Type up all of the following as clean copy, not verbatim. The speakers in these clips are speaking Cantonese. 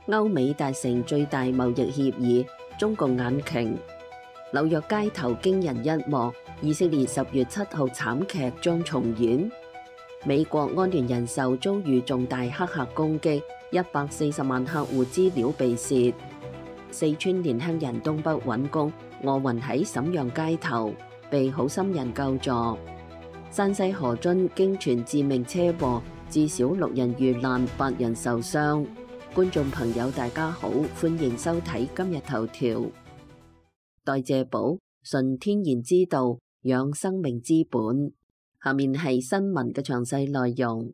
歐美達成最大貿易協議，中共眼瓊。紐約街頭驚人一幕，以色列10月7號慘劇將重演。美國安聯人壽遭遇重大黑客攻擊，140萬客戶資料被竊。四川年輕人東北揾工，餓暈喺瀋陽街頭，被好心人救助。山西河津驚傳致命車禍，至少6人遇難，8人受傷。觀眾朋友大家好，歡迎收睇今日頭條。代謝寶，純天然之道，養生命之本。下面係新聞嘅詳細內容。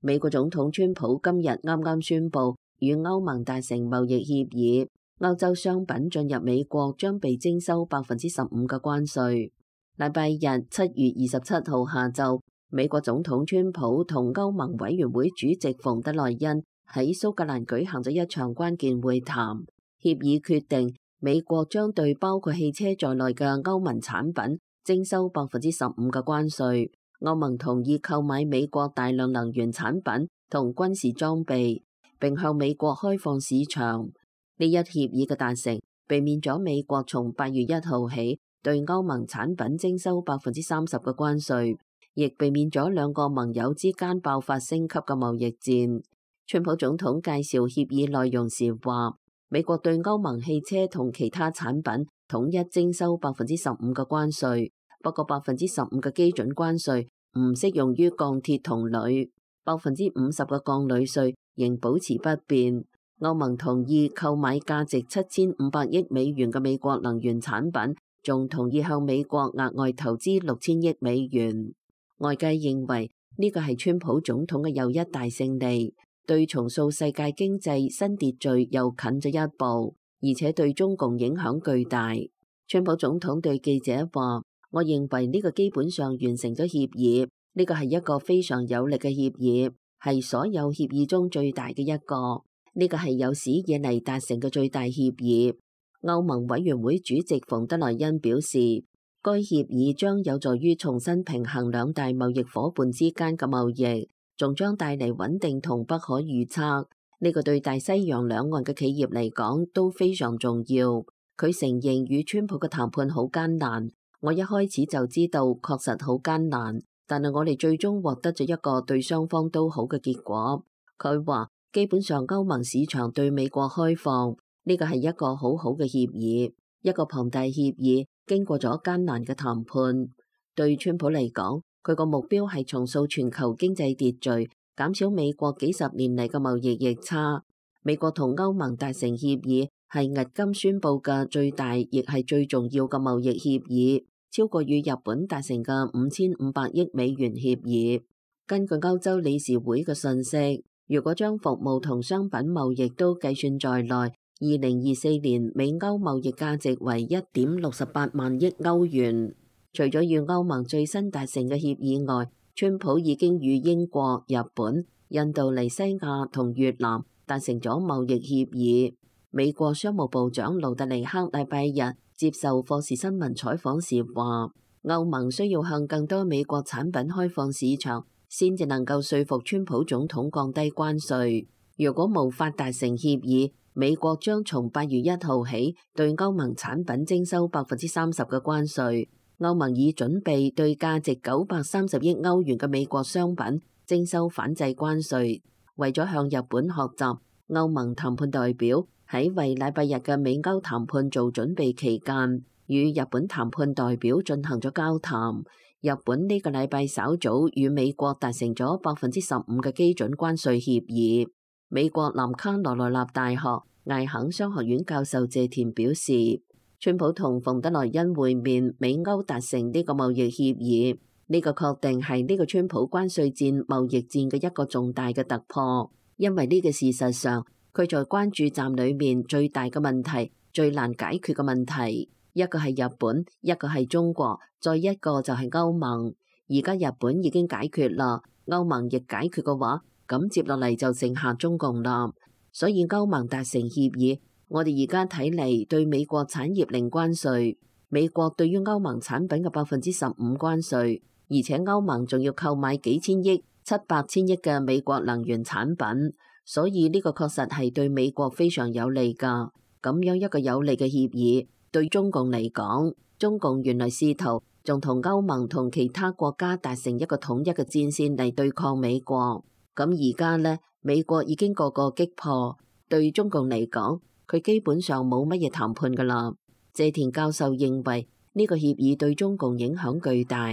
美國總統川普今日啱啱宣布與歐盟達成貿易協議，歐洲商品進入美國將被徵收15%嘅關稅。禮拜日7月27號下晝，美國總統川普同歐盟委員會主席馮德萊恩喺蘇格蘭舉行咗一場關鍵會談，協議決定美國將對包括汽車在內嘅歐盟產品徵收15%嘅關稅。歐盟同意購買美國大量能源產品同軍事裝備，並向美國開放市場。呢一協議嘅達成，避免咗美國從8月1號起對歐盟產品徵收30%嘅關稅，亦避免咗兩個盟友之間爆發升級嘅貿易戰。川普總統介紹協議內容時話，美國對歐盟汽車同其他產品統一徵收15%嘅關稅。不過15%嘅基準關稅唔適用於鋼鐵同鋁，50%嘅鋼鋁稅仍保持不變。歐盟同意購買價值7500億美元嘅美國能源產品，仲同意向美國額外投資6000億美元。外界認為呢個係川普總統嘅又一大勝利，對重塑世界經濟新秩序又近咗一步，而且對中共影響巨大。川普總統對記者話，我認為呢個基本上完成咗協議，呢個係一個非常有力嘅協議，係所有協議中最大嘅一個，呢個係有史以嚟達成嘅最大協議。歐盟委員會主席馮德萊恩表示，該協議將有助於重新平衡兩大貿易夥伴之間嘅貿易，仲將帶嚟穩定同不可預測，呢個對大西洋兩岸嘅企業嚟講都非常重要。佢承認與川普嘅談判好艱難。我一開始就知道確實好艱難，但係我哋最終獲得咗一個對雙方都好嘅結果。佢話基本上歐盟市場對美國開放，呢個係一個好好嘅協議，一個龐大協議，經過咗艱難嘅談判。對川普嚟講，佢個目標係重塑全球經濟秩序，減少美國幾十年嚟嘅貿易逆差。美國同歐盟達成協議係迄今宣布嘅最大，亦係最重要嘅貿易協議，超過與日本達成嘅5500億美元協議。根據歐洲理事會嘅信息，如果將服務同商品貿易都計算在內，2024年美歐貿易價值為1.68萬億歐元。除咗與歐盟最新達成嘅協議外，川普已經與英國、日本、印度尼西亞同越南達成咗貿易協議。美國商務部長盧特尼克禮拜日接受霍士新聞採訪時話，歐盟需要向更多美國產品開放市場，先至能夠說服川普總統降低關稅。如果無法達成協議，美國將從8月1號起對歐盟產品徵收30%嘅關稅。歐盟已準備對價值930億歐元嘅美國商品徵收反制關稅。為咗向日本學習，歐盟談判代表喺為禮拜日嘅美歐談判做準備期間，與日本談判代表進行咗交談。日本呢個禮拜稍早與美國達成咗15%嘅基準關稅協議。美國南卡羅來納大學艾肯商學院教授謝田表示，川普同馮德萊恩會面，美歐達成呢個貿易協議，呢個確定係呢個川普關稅戰、貿易戰嘅一個重大嘅突破，因為呢個事實上，佢在關注站裏面最大嘅問題、最難解決嘅問題，一個係日本，一個係中國，再一個就係歐盟。而家日本已經解決啦，歐盟亦解決嘅話，咁接落嚟就剩下中共啦。所以歐盟達成協議，我哋而家睇嚟對美國產業零關稅，美國對於歐盟產品嘅15%關稅，而且歐盟仲要購買幾千億、700千億嘅美國能源產品，所以呢個確實係對美國非常有利㗎。咁樣一個有利嘅協議，對中共嚟講，中共原來試圖仲同歐盟同其他國家達成一個統一嘅戰線嚟對抗美國。咁而家呢，美國已經個個擊破，對中共嚟講，佢基本上冇乜嘢談判㗎啦。謝田教授認為呢個協議對中共影響巨大，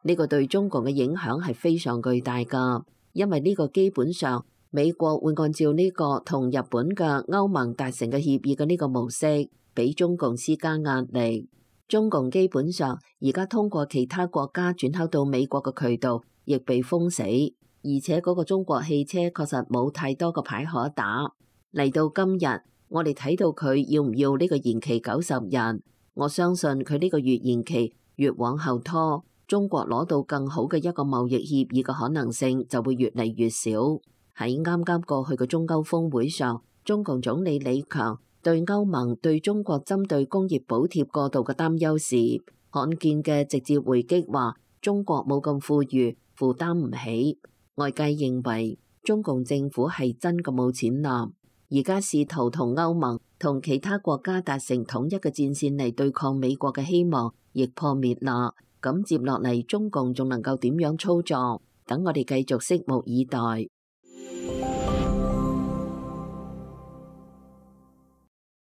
呢個對中共嘅影響係非常巨大㗎，因為呢個基本上美國會按照呢個同日本嘅歐盟達成嘅協議嘅呢個模式，俾中共施加壓力。中共基本上而家通過其他國家轉口到美國嘅渠道亦被封死，而且嗰個中國汽車確實冇太多個牌可打。嚟到今日，我哋睇到佢要唔要呢個延期90日，我相信佢呢個越延期越往後拖，中國攞到更好嘅一個貿易協議嘅可能性就會越嚟越少。喺啱啱過去嘅中歐峰會上，中共總理李強對歐盟對中國針對工業補貼過度嘅擔憂時，罕見嘅直接回擊話中國冇咁富裕，負擔唔起。外界認為中共政府係真嘅冇錢啦，而家試圖同歐盟同其他國家達成統一嘅戰線嚟對抗美國嘅希望亦破滅啦。咁接落嚟中共仲能夠點樣操作？等我哋繼續拭目以待。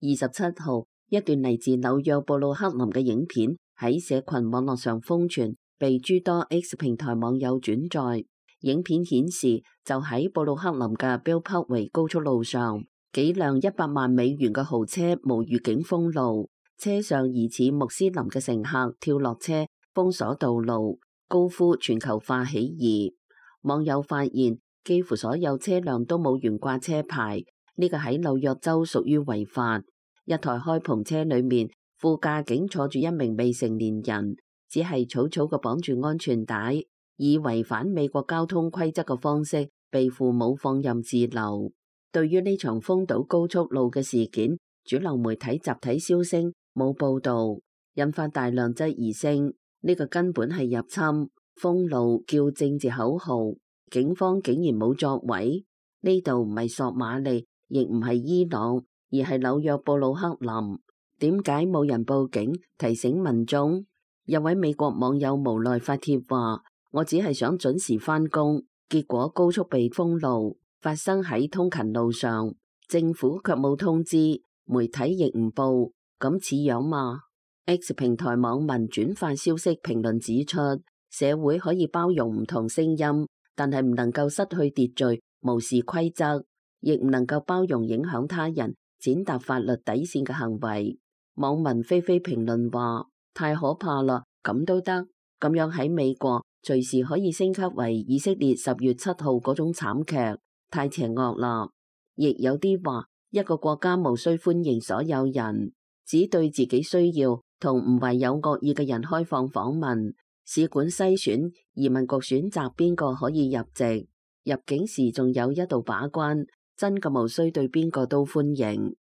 27號，一段嚟自紐約布魯克林嘅影片喺社群網絡上瘋傳，被諸多 X 平台網友轉載。影片顯示，就喺布魯克林嘅 Beltway 高速路上，幾輛100萬美元嘅豪車無預警封路，車上疑似穆斯林嘅乘客跳落車，封鎖道路，高呼全球化起義。網友發現，幾乎所有車輛都冇懸掛車牌，呢個喺紐約州屬於違法。一台開篷車裏面，副駕竟坐住一名未成年人，只係草草嘅綁住安全帶，以違反美國交通規則嘅方式被父母放任自流。對於呢場封堵高速路嘅事件，主流媒體集體銷聲，冇報導，引發大量質疑聲。呢個根本係入侵，封路叫政治口號，警方竟然冇作為。呢度唔係索馬利，亦唔係伊朗，而係紐約布魯克林，點解冇人報警提醒民眾？有位美國網友無奈發帖話：我只係想準時返工，結果高速被封路，發生喺通勤路上，政府卻冇通知，媒體亦唔報，咁似樣嘛？X 平台網民轉發消息評論指出，社會可以包容唔同聲音，但係唔能夠失去秩序，無視規則，亦唔能夠包容影響他人踐踏法律底線嘅行為。網民飛飛評論話：太可怕啦，咁都得？咁樣喺美國隨時可以升級為以色列10月7號嗰種慘劇，太邪惡啦。亦有啲話，一個國家無需歡迎所有人，只對自己需要同唔係有惡意嘅人開放訪問。使館篩選，移民局選擇邊個可以入籍，入境時仲有一道把關，真嘅無需對邊個都歡迎。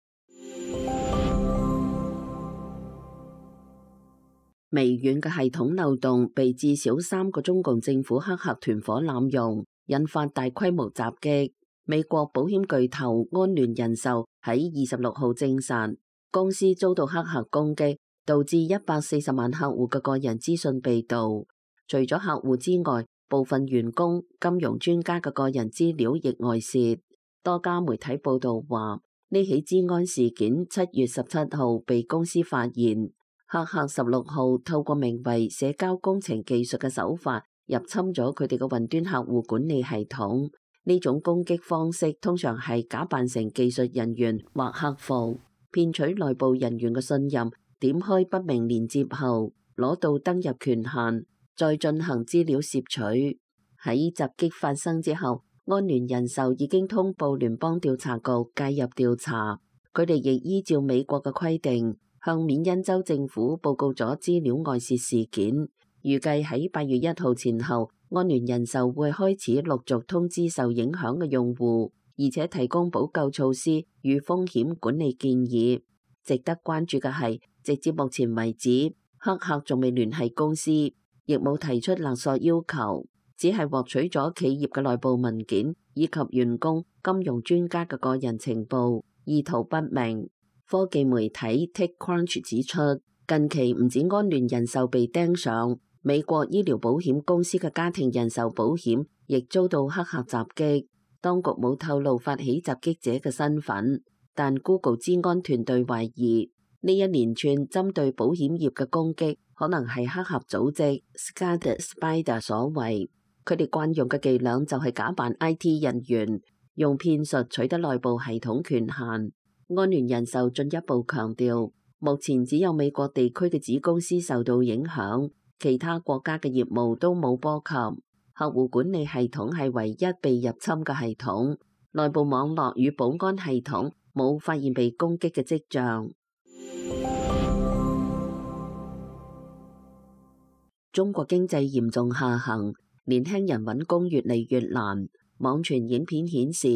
微軟嘅系統漏洞被至少3個中共政府黑客團夥濫用，引發大規模襲擊。美國保險巨頭安聯人壽喺26號證實，公司遭到黑客攻擊，導致140萬客戶嘅個人資訊被盜。除咗客戶之外，部分員工、金融專家嘅個人資料亦外洩。多家媒體報道話，呢起資安事件7月17號被公司發現，黑客16號透過名為社交工程技術嘅手法入侵咗佢哋嘅雲端客戶管理系統。呢種攻擊方式通常係假扮成技術人員或客服，騙取內部人員嘅信任，點開不明連接後攞到登入權限，再進行資料攝取。喺襲擊發生之後，安聯人壽已經通報聯邦調查局介入調查，佢哋亦依照美國嘅規定向緬因州政府報告咗資料外洩事件。預計喺8月1號前後，安聯人壽會開始陸續通知受影響嘅用戶，而且提供補救措施與風險管理建議。值得關注嘅係，直至目前為止，黑客仲未聯繫公司。亦冇提出勒索要求，只係獲取咗企業嘅內部文件以及員工、金融專家嘅個人情報，意圖不明。科技媒體 TechCrunch 指出，近期唔止安聯人壽被盯上，美國醫療保險公司嘅家庭人壽保險亦遭到黑客襲擊。當局冇透露發起襲擊者嘅身份，但 Google 資安團隊懷疑呢一連串針對保險業嘅攻擊可能係黑客組織 Scarlet Spider 所為。佢哋慣用嘅伎倆就係假扮 IT 人員，用騙術取得內部系統權限。安聯人壽進一步強調，目前只有美國地區嘅子公司受到影響，其他國家嘅業務都冇波及。客戶管理系統係唯一被入侵嘅系統，內部網絡與保安系統冇發現被攻擊嘅跡象。中國經濟嚴重下行，年輕人揾工越嚟越難。網傳影片顯示，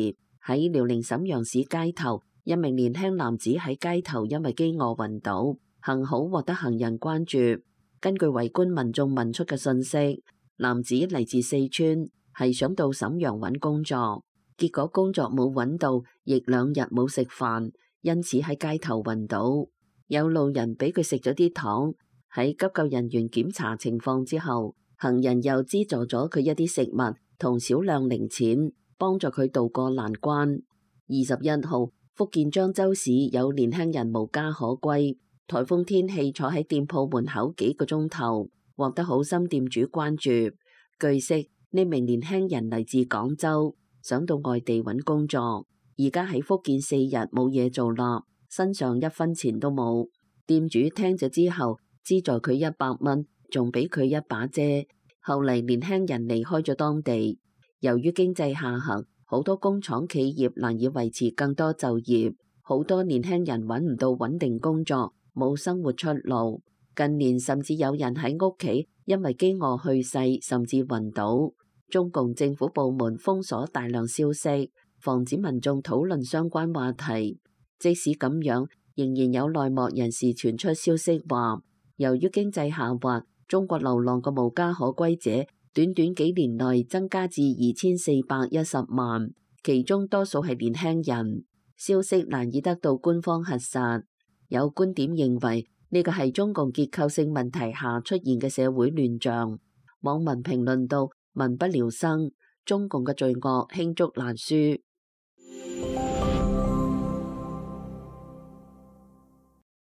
喺遼寧瀋陽市街頭，一名年輕男子喺街頭因為飢餓暈倒，幸好獲得行人關注。根據圍觀民眾問出嘅信息，男子嚟自四川，係想到瀋陽揾工作，結果工作冇揾到，亦2日冇食飯，因此喺街頭暈倒。有路人俾佢食咗啲糖，喺急救人員檢查情況之後，行人又資助咗佢一啲食物同少量零錢，幫助佢渡過難關。21號，福建漳州市有年輕人無家可歸，颱風天氣坐喺店鋪門口幾個鐘頭，獲得好心店主關注。據悉，呢名年輕人嚟自廣州，想到外地揾工作，而家喺福建4日冇嘢做啦，身上1分錢都冇。店主聽咗之後，資助佢100蚊，仲俾佢一把遮。後嚟年輕人離開咗當地，由於經濟下行，好多工廠企業難以維持更多就業，好多年輕人揾唔到穩定工作，冇生活出路。近年甚至有人喺屋企因為飢餓去世，甚至暈倒。中共政府部門封鎖大量消息，防止民眾討論相關話題。即使咁樣，仍然有內幕人士傳出消息話，由於經濟下滑，中國流浪嘅無家可歸者短短幾年內增加至2410萬，其中多數係年輕人。消息難以得到官方核實。有觀點認為呢個係中共結構性問題下出現嘅社會亂象。網民評論道：民不聊生，中共嘅罪惡罄竹難書。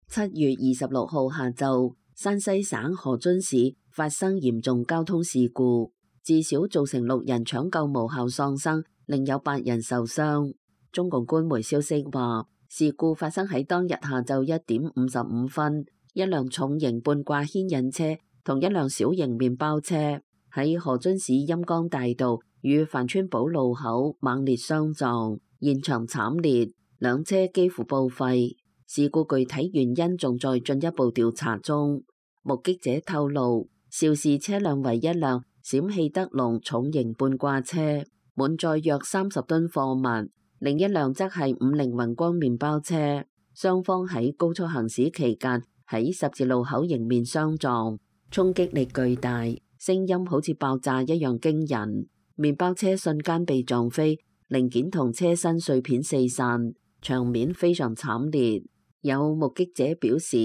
7月26號下晝，山西省河津市發生嚴重交通事故，至少造成6人搶救無效喪生，另有8人受傷。中共官媒消息話，事故發生喺當日下晝1點55分，一輛重型半掛牽引車同一輛小型麵包車喺河津市陰江大道與樊村堡路口猛烈相撞，現場慘烈，兩車幾乎報廢。事故具體原因仲在進一步調查中。目擊者透露，肇事車輛為一輛陝汽德龍重型半掛車，滿載約30噸貨物；另一輛則係50宏光麵包車。雙方喺高速行駛期間喺十字路口迎面相撞，衝擊力巨大，聲音好似爆炸一樣驚人。麵包車瞬間被撞飛，零件同車身碎片四散，場面非常慘烈。有目擊者表示，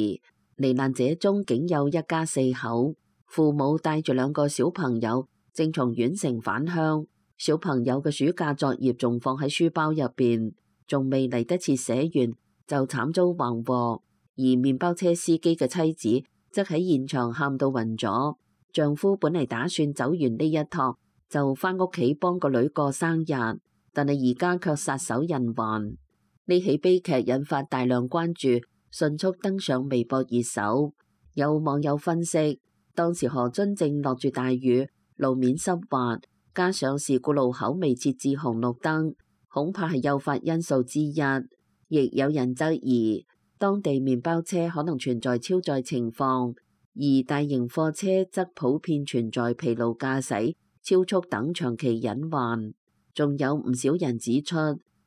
罹難者中竟有一家4口，父母帶住2個小朋友，正從縣城返鄉。小朋友嘅暑假作業仲放喺書包入邊，仲未嚟得切寫完，就慘遭橫禍。而麵包車司機嘅妻子則喺現場喊到暈咗。丈夫本嚟打算走完呢一趟，就返屋企幫個女過生日，但係而家卻撒手人寰。呢起悲劇引發大量關注，迅速登上微博熱搜。有網友分析，當時河津正落住大雨，路面濕滑，加上事故路口未設置紅綠燈，恐怕係誘發因素之一。亦有人質疑，當地麵包車可能存在超載情況，而大型貨車則普遍存在疲勞駕駛、超速等長期隱患。仲有唔少人指出，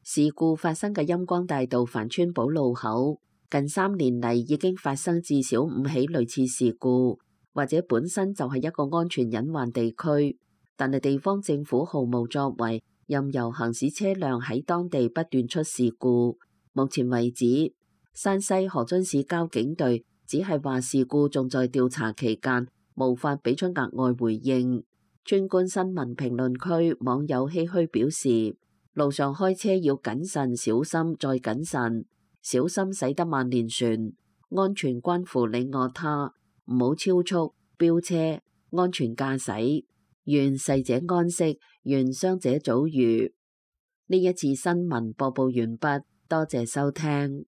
事故發生嘅陰江大道樊村堡路口，近3年嚟已經發生至少5起類似事故，或者本身就係一個安全隱患地區，但係地方政府毫無作為，任由行駛車輛喺當地不斷出事故。目前為止，山西河津市交警隊只係話事故仲在調查期間，無法俾出額外回應。川觀新聞評論區網友唏噓表示，路上開車要謹慎小心再謹慎，小心駛得萬年船，安全關乎你我他，唔好超速飆車，安全駕駛，願逝者安息，願傷者早癒。呢一次新聞播報完畢，多謝收聽。